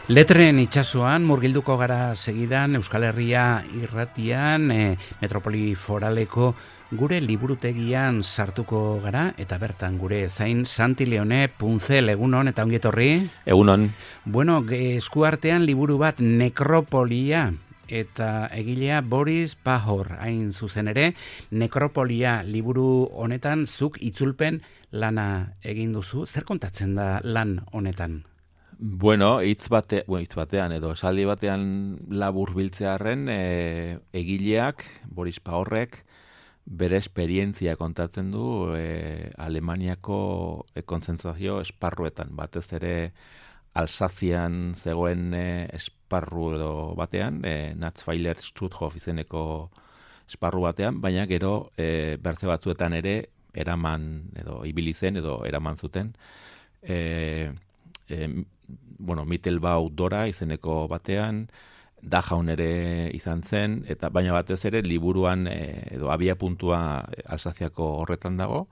Letren itsasoan murgilduko gara segidan Euskal Herria irratian, Metropoli Foraleko gure liburutegian sartuko gara, eta bertan gure zain Santi Leone Puntzel, egunon eta ongietorri. Egunon. Bueno, eskuartean liburu bat Nekropolia, eta egilea Boris Pahor, hain zuzen ere, Nekropolia liburu honetan zuk itzulpen lana egin duzu. Zer kontatzen da lan honetan? Bueno, hitz batean edo esaldi batean labur biltzearren, egileak, Boris Pahorrek, bere esperientzia kontatzen du Alemaniako kontzentrazio esparruetan, batez ere Alsazian zegoen esparru edo batean, Natzweiler Struthof izeneko esparru batean, baina gero bertze batzuetan ere eraman edo ibili zen edo eraman zuten, Mittelbau Dora izeneko batean, Dachau ere izan zen, eta baina batez ere liburuan edo abia puntua Alsaziako horretan dago,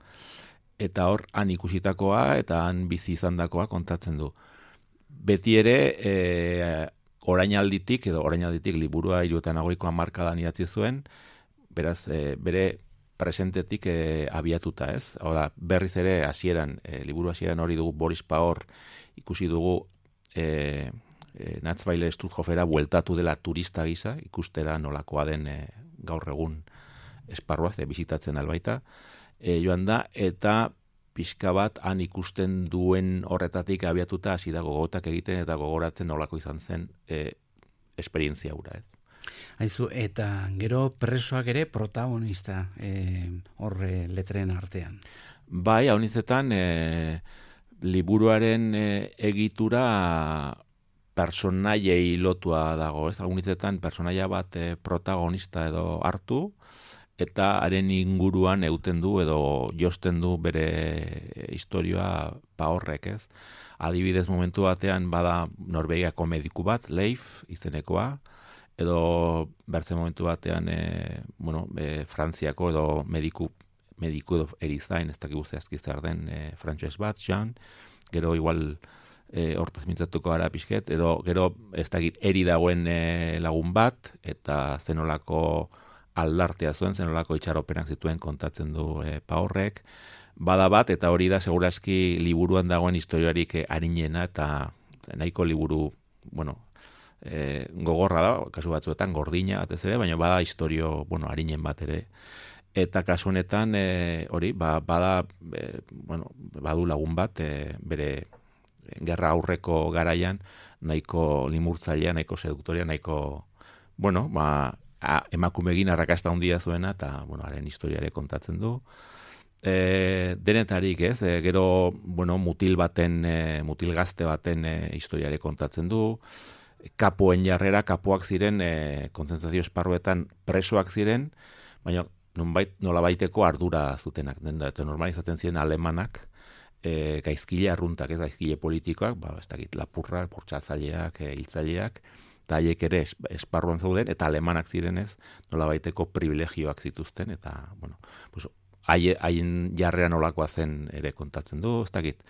eta hor han ikusitakoa eta han bizi izandakoa kontatzen du. Beti ere orainalditik liburua 78ko hamarkadan idatzi zuen, beraz bere presentetik abiatuta, ez? Hora, berriz ere hasieran, liburu hasieran hori dugu Boris Pahor ikusi dugu Natzweiler Struthofera bueltatu dela turista gisa, ikustera nolakoa den gaur egun esparruaz, bizitatzen albaita, joan da, eta pixka bat han ikusten duen horretatik abiatuta hasi da gogotak egiten eta gogoratzen nolako izan zen esperientzia hura, ez? Aizu, eta gero presoak ere protagonista horre letren artean. Bai, hau nizetan liburuaren egitura personaiei lotua dago, ez? Hau nizetan personaia bat protagonista edo hartu, eta haren inguruan euten du edo josten du bere historia Pahorrek, ez? Adibidez momentu batean bada Norvegiako mediku bat, Leif izenekoa, edo bertze momentu batean Frantziako edo mediku edo erizain, ez dakigu zehazki zer den, frantses bat, Jean, gero igual hortaz mintzatuko gara pixket, edo gero ez dakit eri dagoen lagun bat, eta zenolako aldartea zuen, zenolako itxaropenak zituen kontatzen du Pahorrek, bada bat, eta hori da segurazki liburuan dagoen historiarik arinena, eta nahiko liburu, gogorra da, kasu batzuetan gordina batez ere, baina bada historio, arinen bat ere. Eta kasu honetan hori, bada badu lagun bat bere gerra aurreko garaian nahiko limurtzailea, nahiko seduktoria, nahiko emakumegin arrakasta handia zuena, eta haren historiare kontatzen du. Denetarik, ez? Gero mutil gazte baten historiare kontatzen du. Kapuen jarrera, kapuak ziren kontzentrazio esparruetan presoak ziren, baina nolabaiteko ardura zutenak, eta normalizatzen ziren alemanak, gaizkile arruntak, ez gaizkile politikoak, ez dakit lapurrak, bortxatzaileak, hiltzaileak, eta haiek ere esparruan zauden, eta alemanak zirenez nolabaiteko privilegioak zituzten, eta haien jarrera nolakoa zen ere kontatzen du, ez dakit.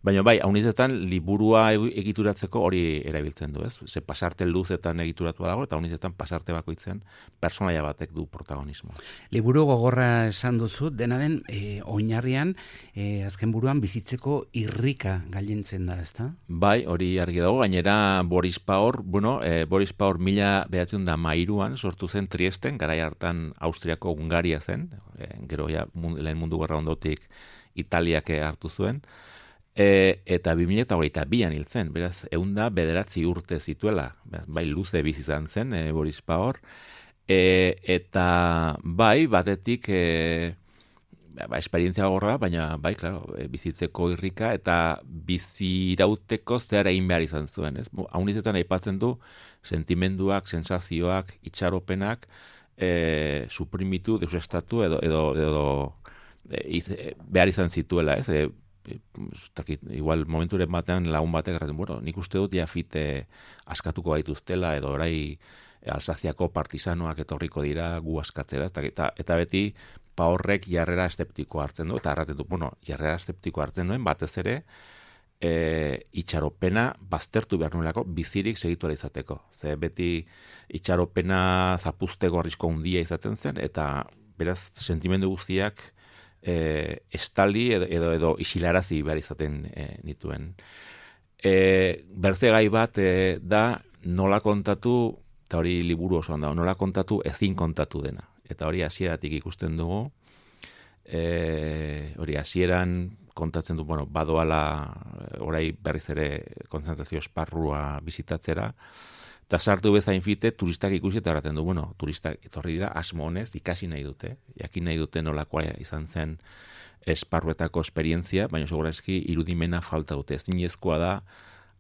Baina bai, haunizetan liburua egituratzeko hori erabiltzen du, ez? Ze pasarte luzetan egituratua dago, eta haunizetan pasarte bakoitzean personaia batek du protagonismoa. Liburu gogorra esan duzu, dena den oinarrian, azken buruan bizitzeko irrika gailentzen da, ezta? Bai, hori argi dago, gainera Boris Pahor, Boris Pahor 1913an sortu zen Triesten, garai hartan Austriako Hungaria zen, gero lehen mundu gerra ondotik Italiak hartu zuen, eta 2022an hil zen, beraz, 109 urte zituela, bai luze bizi izan zen Boris Pahor, eta bai, batetik esperientzia gorra, baina bai, claro, bizitzeko irrika, eta bizirauteko zehar egin behar izan zuen, ez? Haunizetan aipatzen du sentimenduak, sensazioak, itxaropenak, suprimitu, deusestatu edo behar izan zituela, ez? Igual momenturen batean lagun batek erraten, nik uste dut jafite askatuko gaituztela, edo orai Alsaziako partisanoak etorriko dira gu askatzera, eta beti Pahorrek jarrera eszeptikoa hartzen du, eta erraten du, jarrera eszeptikoa hartzen duen, batez ere itxaropena baztertu behar nuelako bizirik segitu ala izateko. Ze beti itxaropena zapuzteko arrisko handia izaten zen, eta beraz sentimendu guztiak estali edo isilarazi behar izaten nituen. Bertze gai bat da nola kontatu, eta hori liburu osoan da, nola kontatu ezin kontatu dena. Eta hori hasieratik ikusten dugu, hori hasieran kontatzen du, bueno, badoala orai berriz ere kontzentrazio esparrua bizitatzera, eta sartu bezain fite turistak ikusi eta erraten du, bueno, turistak etorri dira asmo honez ikasi nahi dute, jakin nahi dute nolakoa izan zen esparruetako esperientzia, baina segurazki irudimena falta dute. Ezinezkoa da,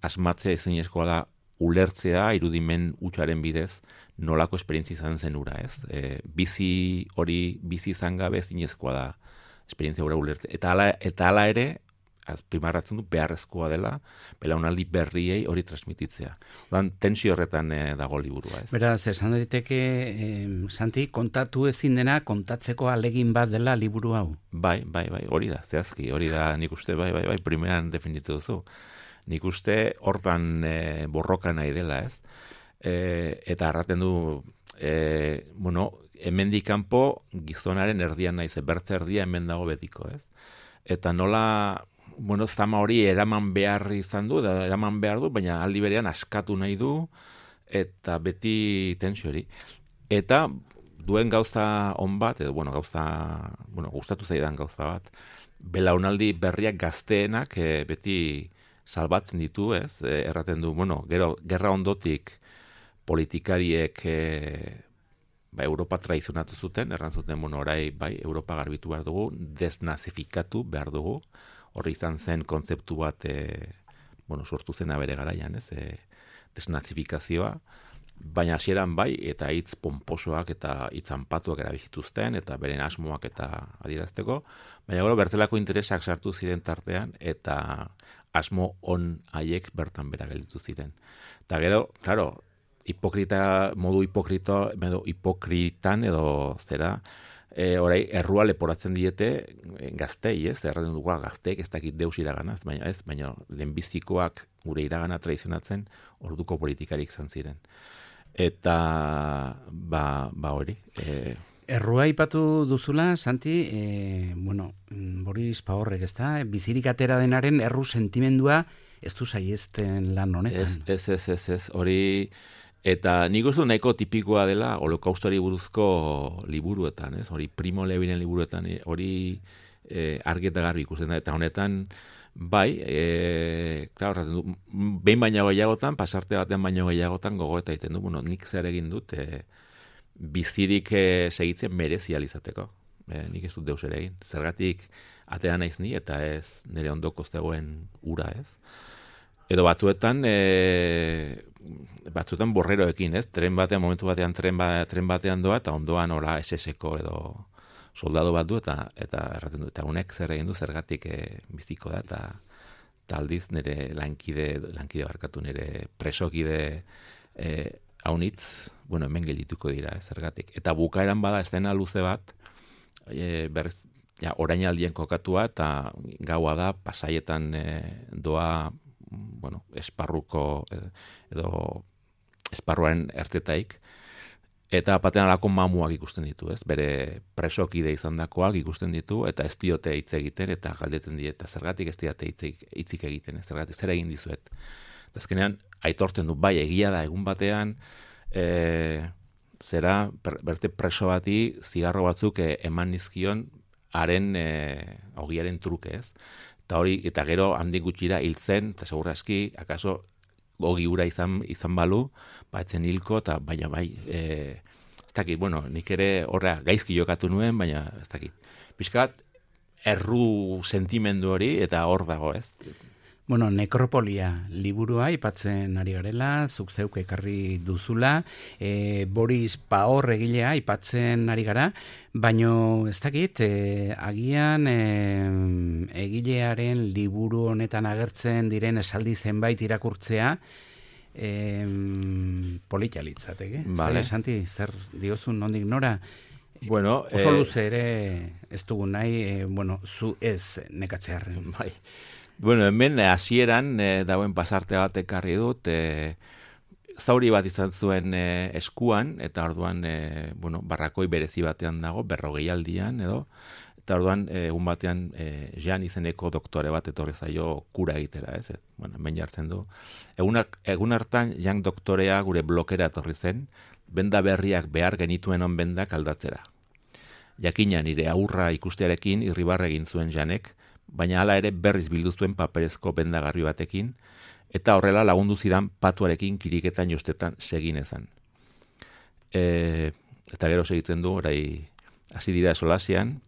asmatzea ezinezkoa da ulertzea irudimen hutsaren bidez nolako esperientzia izan zen ura, ez? Bizi izan gabe ezinezkoa da esperientzia ura ulertzea. Eta hala ere, azpimarratzen du beharrezkoa dela, belaunaldi berriei hori transmititzea. Odan, tensio horretan dago liburua, ez? Beraz, esan daiteke, Santi, kontatu ezin dena, kontatzeko alegin bat dela liburu hau. Bai, hori da, zehazki, hori da nik uste, bai, primeran definitu duzu. Nik uste hortan borroka nahi dela, ez? Eta erraten du, bueno, hemendik kanpo gizonaren erdian naiz, bertze erdia hemen dago betiko, ez? Eta nola, bueno, zama hori eraman behar izan du, baina aldi berean askatu nahi du, eta beti tensio hori. Eta duen gauza on bat, edo, gustatu zaidan gauza bat, belaunaldi berriak gazteenak beti salbatzen ditu, ez? Erraten du, gero, gerra ondotik politikariek Europa traizionatu zuten, erran zuten, orai, Europa garbitu behar dugu, desnazifikatu behar dugu, horri izan zen kontzeptu bat, sortu zena bere garaian, ez? Desnazifikazioa, baina hasieran eta hitz pomposoak eta hitz anpatuak erabilituzten, eta beren asmoak eta adierazteko, baina gero bertelako interesak sartu ziren tartean, eta asmo on haiek bertan bera gelditu ziren. Eta gero, claro, modu hipokritan edo zera, orai errua leporatzen diete gaztei, ez? Erraten dugu gazteek ez dakit deus iraganaz, baina lehenbizikoak gure iragana traizionatzen orduko politikarik izan ziren. Eta hori. Errua ipatu duzula, Santi, Boris Pahorrek, ez da? Bizirik atera denaren erru sentimendua ez du saiesten lan honetan. Ez, hori. Eta nik uste nahiko tipikoa dela holokaustoari buruzko liburuetan, ez? Hori Primo Levinen liburuetan, hori argi eta garbi ikusten da. Eta honetan, behin baino gehiagotan, pasarte batean baino gehiagotan gogoeta egiten du, nik zer egin dut, bizirik segitzen merezi alizateko. Nik ez dut deus ere egin. Zergatik atea naiz ni eta ez nire ondoko zegoen ura, ez? Edo batzuetan borreroekin, ez? Momentu batean tren batean doa, eta ondoan hola SS-ko edo soldado bat du, eta erraten du, eta honek zer egin du zergatik biziko da, eta aldiz nire lankide barkatu, nire presokide haunitz, hemen geldituko dira, zergatik. Eta bukaeran bada eszena luze bat, orainaldien kokatua, eta gaua da, pasaietan doa, esparruko edo esparruaren ertetaik, eta batean alako mamuak ikusten ditu, ez? Bere presokide izandakoak ikusten ditu, eta ez diote hitz egiten, eta galdetzen die, eta zergatik ez diote hitzik egiten, ez? Zergatik zer egin dizuet. Eta azkenean, aitortzen du, egia da, egun batean, berte preso bati zigarro batzuk eman nizkion haren ogiaren truke, ez? Eta gero handik gutxira hiltzen, eta segurazki, akaso ogi ura izan balu, etzen hilko, eta baina ez dakit, nik ere horra gaizki jokatu nuen, baina ez dakit. Piskat, erru sentimendu hori, eta hor dago, ez? Nekropolia liburua aipatzen ari garela, zuk zeuk ekarri duzula, Boris Pahor egilea aipatzen ari gara, baino ez dakit, agian egilearen liburu honetan agertzen diren esaldi zenbait irakurtzea, polita litzateke. Vale. Santi, zer diozun nondik nora? Oso luze ere ez dugu nahi, zu ez nekatzearren. Bai. Bueno, hemen hasieran dauen pasarte bat ekarri dut, zauri bat izan zuen eskuan, eta orduan, barrakoi berezi batean dago, 40 aldian edo, eta orduan, egun batean, Jean izeneko doktore bat etorri zaio kura egitera, ez? Hemen jartzen du. Egun hartan, Jean doktorea gure blokera etorri zen, benda berriak behar genituen on bendak aldatzera. Jakina nire aurra ikustearekin irribarre egin zuen Janek, baina hala ere berriz bildu zuen paperezko bendagarri batekin, eta horrela lagundu zidan patuarekin kiriketan jostetan seginezan. Eta gero segitzen du, orai hasi dira solasian,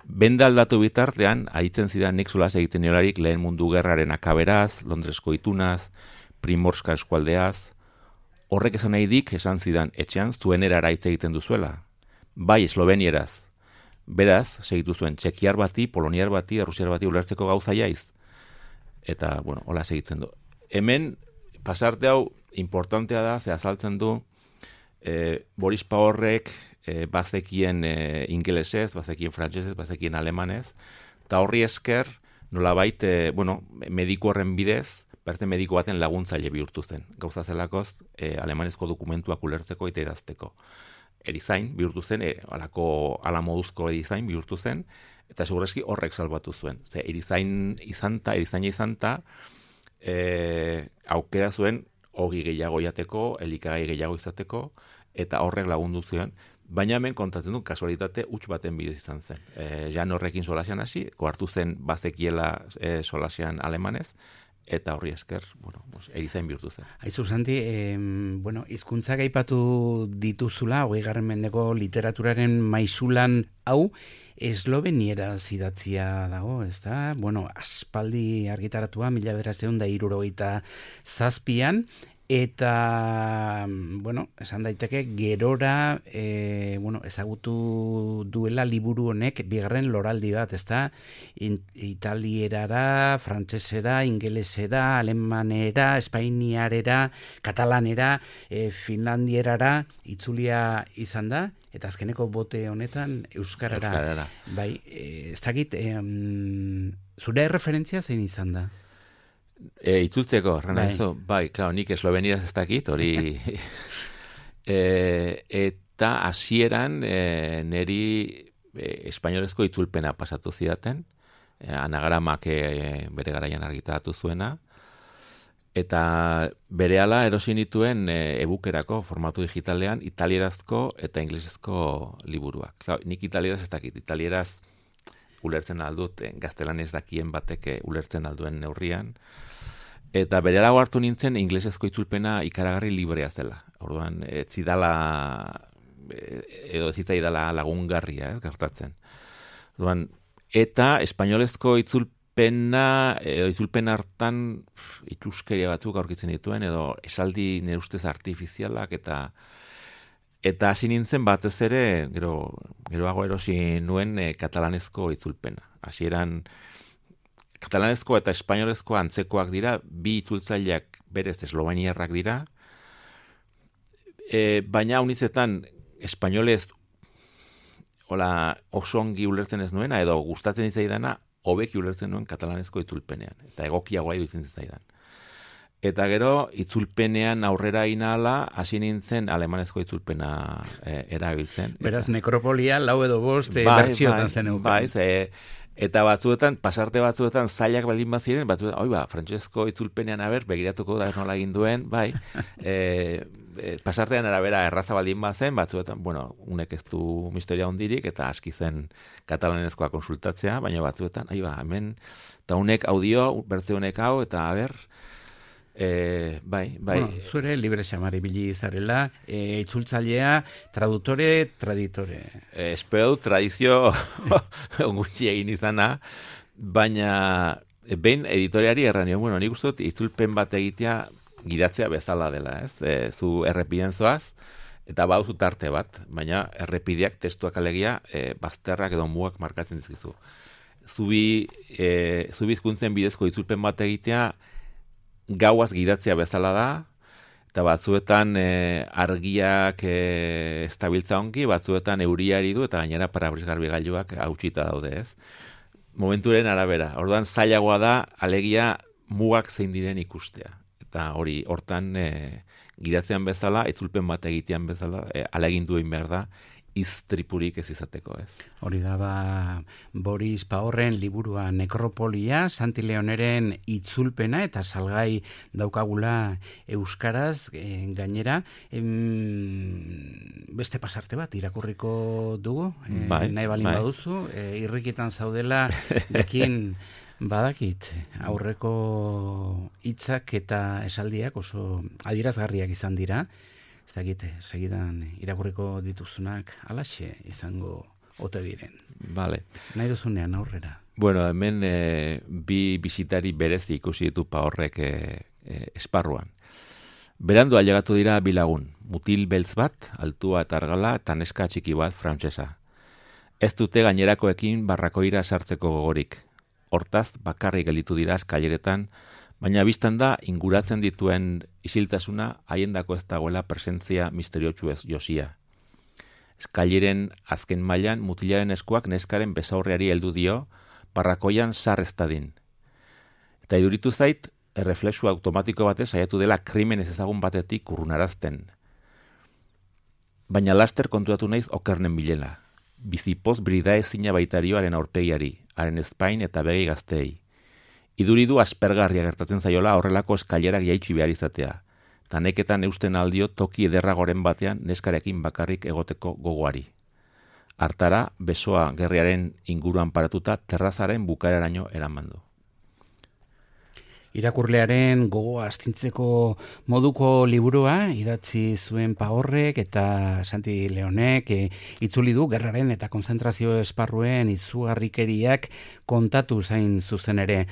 benda aldatu bitartean, aitzen zidan nik solas egiten niolarik lehen mundu gerraren akaberaz, Londresko itunaz, Primorska eskualdeaz, horrek esan nahi dik esan zidan etxean zuen erara hitz egiten duzuela. Bai, eslovenieraz. Beraz, segitu zuen, txekiar bati, poloniar bati, errusiar bati ulertzeko gauza jaiz. Eta, hola segitzen du. Hemen, pasarte hau, importantea da, ze azaltzen du, Boris Pahorrek bazekien ingelesez, bazekien frantsesez, bazekien alemanez, eta horri esker, nolabait, mediku horren bidez, berzen mediku baten laguntzaile bihurtu zen. Gauza zelakoz, alemanezko dokumentuak ulertzeko eta idazteko. Erizain bihurtu zen, ala moduzko erizain bihurtu zen, eta segurazki horrek salbatu zuen. Ze erizaina izanta, aukera zuen ogi gehiago jateko, elikagai gehiago izateko, eta horrek lagundu zuen. Baina hemen kontatzen du, kasualitate huts baten bidez izan zen. Jan horrekin solasian hasi, hartu zen bazekiela solasian alemanez, eta horri esker, erizain bihurtu zen. Aizu, Santi, hizkuntzak aipatu dituzula, 20. mendeko literaturaren maisulan hau, esloveniera zidatzia dago, ez da? Aspaldi argitaratua, 1967an, eta, esan daiteke, gerora, ezagutu duela liburu honek bigarren loraldi bat, ez da? Italierara, frantsesera, ingelesera, alemanera, espainiarera, katalanera, finlandierara, itzulia izan da, eta azkeneko bote honetan euskarara. Bai, ez dakit, zure referentzia zein izan da? Itzultzeko, Renaizo, bai, nik eslovenieraz ez dakit, hori eta hasieran neri espainolezko itzulpena pasatu zidaten, anagramak bere garaian argitaratu zuena, eta berehala erosi nituen e-bookerako formatu digitalean italierazko eta inglesezko liburuak. Nik italieraz ez dakit, italieraz ulertzen aldut, gaztelanez dakien batek ulertzen alduen neurrian, eta berehala hartu nintzen inglesezko itzulpena ikaragarri librea zela. Orduan, ez zitzaidala lagungarria, gertatzen. Orduan, eta espainolezko itzulpen hartan itxuskeria batzuk aurkitzen dituen, edo esaldi nire ustez artifizialak, eta hasi nintzen batez ere, geroago erosi nuen katalanezko itzulpena. Hasieran katalanezko eta espainolezko antzekoak dira, bi itzultzaileak berez esloveniarrak dira, baina unizetan espainolez oso ongi ulertzen ez nuena, edo gustatzen zaidana, hobeki ulertzen nuen katalanezko itzulpenean, eta egokiagoa iruditzen zaidan. Eta gero, itzulpenean aurrera inala, hasi nintzen alemanezko itzulpena erabiltzen. Beraz, nekropolia, 4 edo 5 bertsiotan zen euken. Bai, eta batzuetan, pasarte batzuetan zailak baldin baziren, batzuetan, frantsesko itzulpenean begiratuko da nola egin duen, bai, pasartean arabera erraza baldin bazen, batzuetan, unek ez du misteria hondirik, eta aski zen katalanezkoa konsultatzea, baina batzuetan, hemen, eta unek audio, bertze honek hau, eta bai. Zure libre xamari bili zarela, itzultzailea, tradutore, traditore. Espero tradizio gutxi egin izana, baina behin editoriari erranio, nik uste dut itzulpen bat egitea gidatzea bezala dela, ez? Zu errepiden zoaz, eta baduzu tarte bat, baina errepideak testuak alegia bazterrak edo mugak markatzen dizkizu. Zubi hizkuntzen bidezko itzulpen bat egitea gauaz gidatzea bezala da, eta batzuetan argiak estabiltza ongi, batzuetan euriari du, eta gainera parabrisgarbi gailuak hautsita daude, ez? momenturen arabera. Orduan zailagoa da, alegia mugak zein diren ikustea. Eta hori, hortan gidatzean bezala, itzulpen bat egitean bezala, alegindu egin behar da, iztripurik ez izateko, ez. Hori da, Boris Pahorren liburua Nekropolia, Santi Leoneren itzulpena eta salgai daukagula euskaraz, gainera, beste pasarte bat irakurriko dugu, nahi balin baduzu, irrikitan zaudela, jakin badakit, aurreko hitzak eta esaldiak oso adierazgarriak izan dira. Ez dakit, segidan irakurriko dituzunak alaxe izango ote diren. Vale. Nahi duzunean aurrera. Bueno, hemen bi bisitari berezi ikusi ditu Pahorrek esparruan. Berandu ailegatu dira bi lagun, mutil beltz bat, altua eta argala, eta neska txiki bat frantsesa. Ez dute gainerakoekin barrakoira sartzeko gogorik. Hortaz, bakarrik gelditu dira eskaileretan, baina biztan da, inguratzen dituen isiltasuna haiendako ez dagoela presentzia misteriotsu ez josia. Eskaileren azken mailan mutilaren eskuak neskaren besaurreari heldu dio, barrakoian sar ez dadin. Eta iduritu zait, erreflexu automatiko batez saiatu dela krimen ez ezagun batetik urrunarazten. Baina laster konturatu naiz okernen bilela. Bizipoz brida ezina baitarioaren aurpegiari, haren ezpain eta begi gazteei. Iduridu aspergarria gertatzen zaiola horrelako eskailerak jaitsi behar izatea. Taneketan eusten aldio toki ederragoren batean neskarekin bakarrik egoteko gogoari. Hartara, besoa gerriaren inguruan paratuta terrazaren bukaeraraino eramandu. Irakurlearen gogoa astintzeko moduko liburua idatzi zuen Pahorrek eta Santi Leonek itzuli du gerraren eta konzentrazio esparruen izugarrikeriak kontatu zain zuzen ere.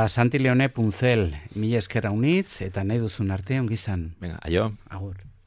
Santi Leone Puntzel, mila esker haunitz eta nahi duzun arte ongizan. Venga, aio. Agur.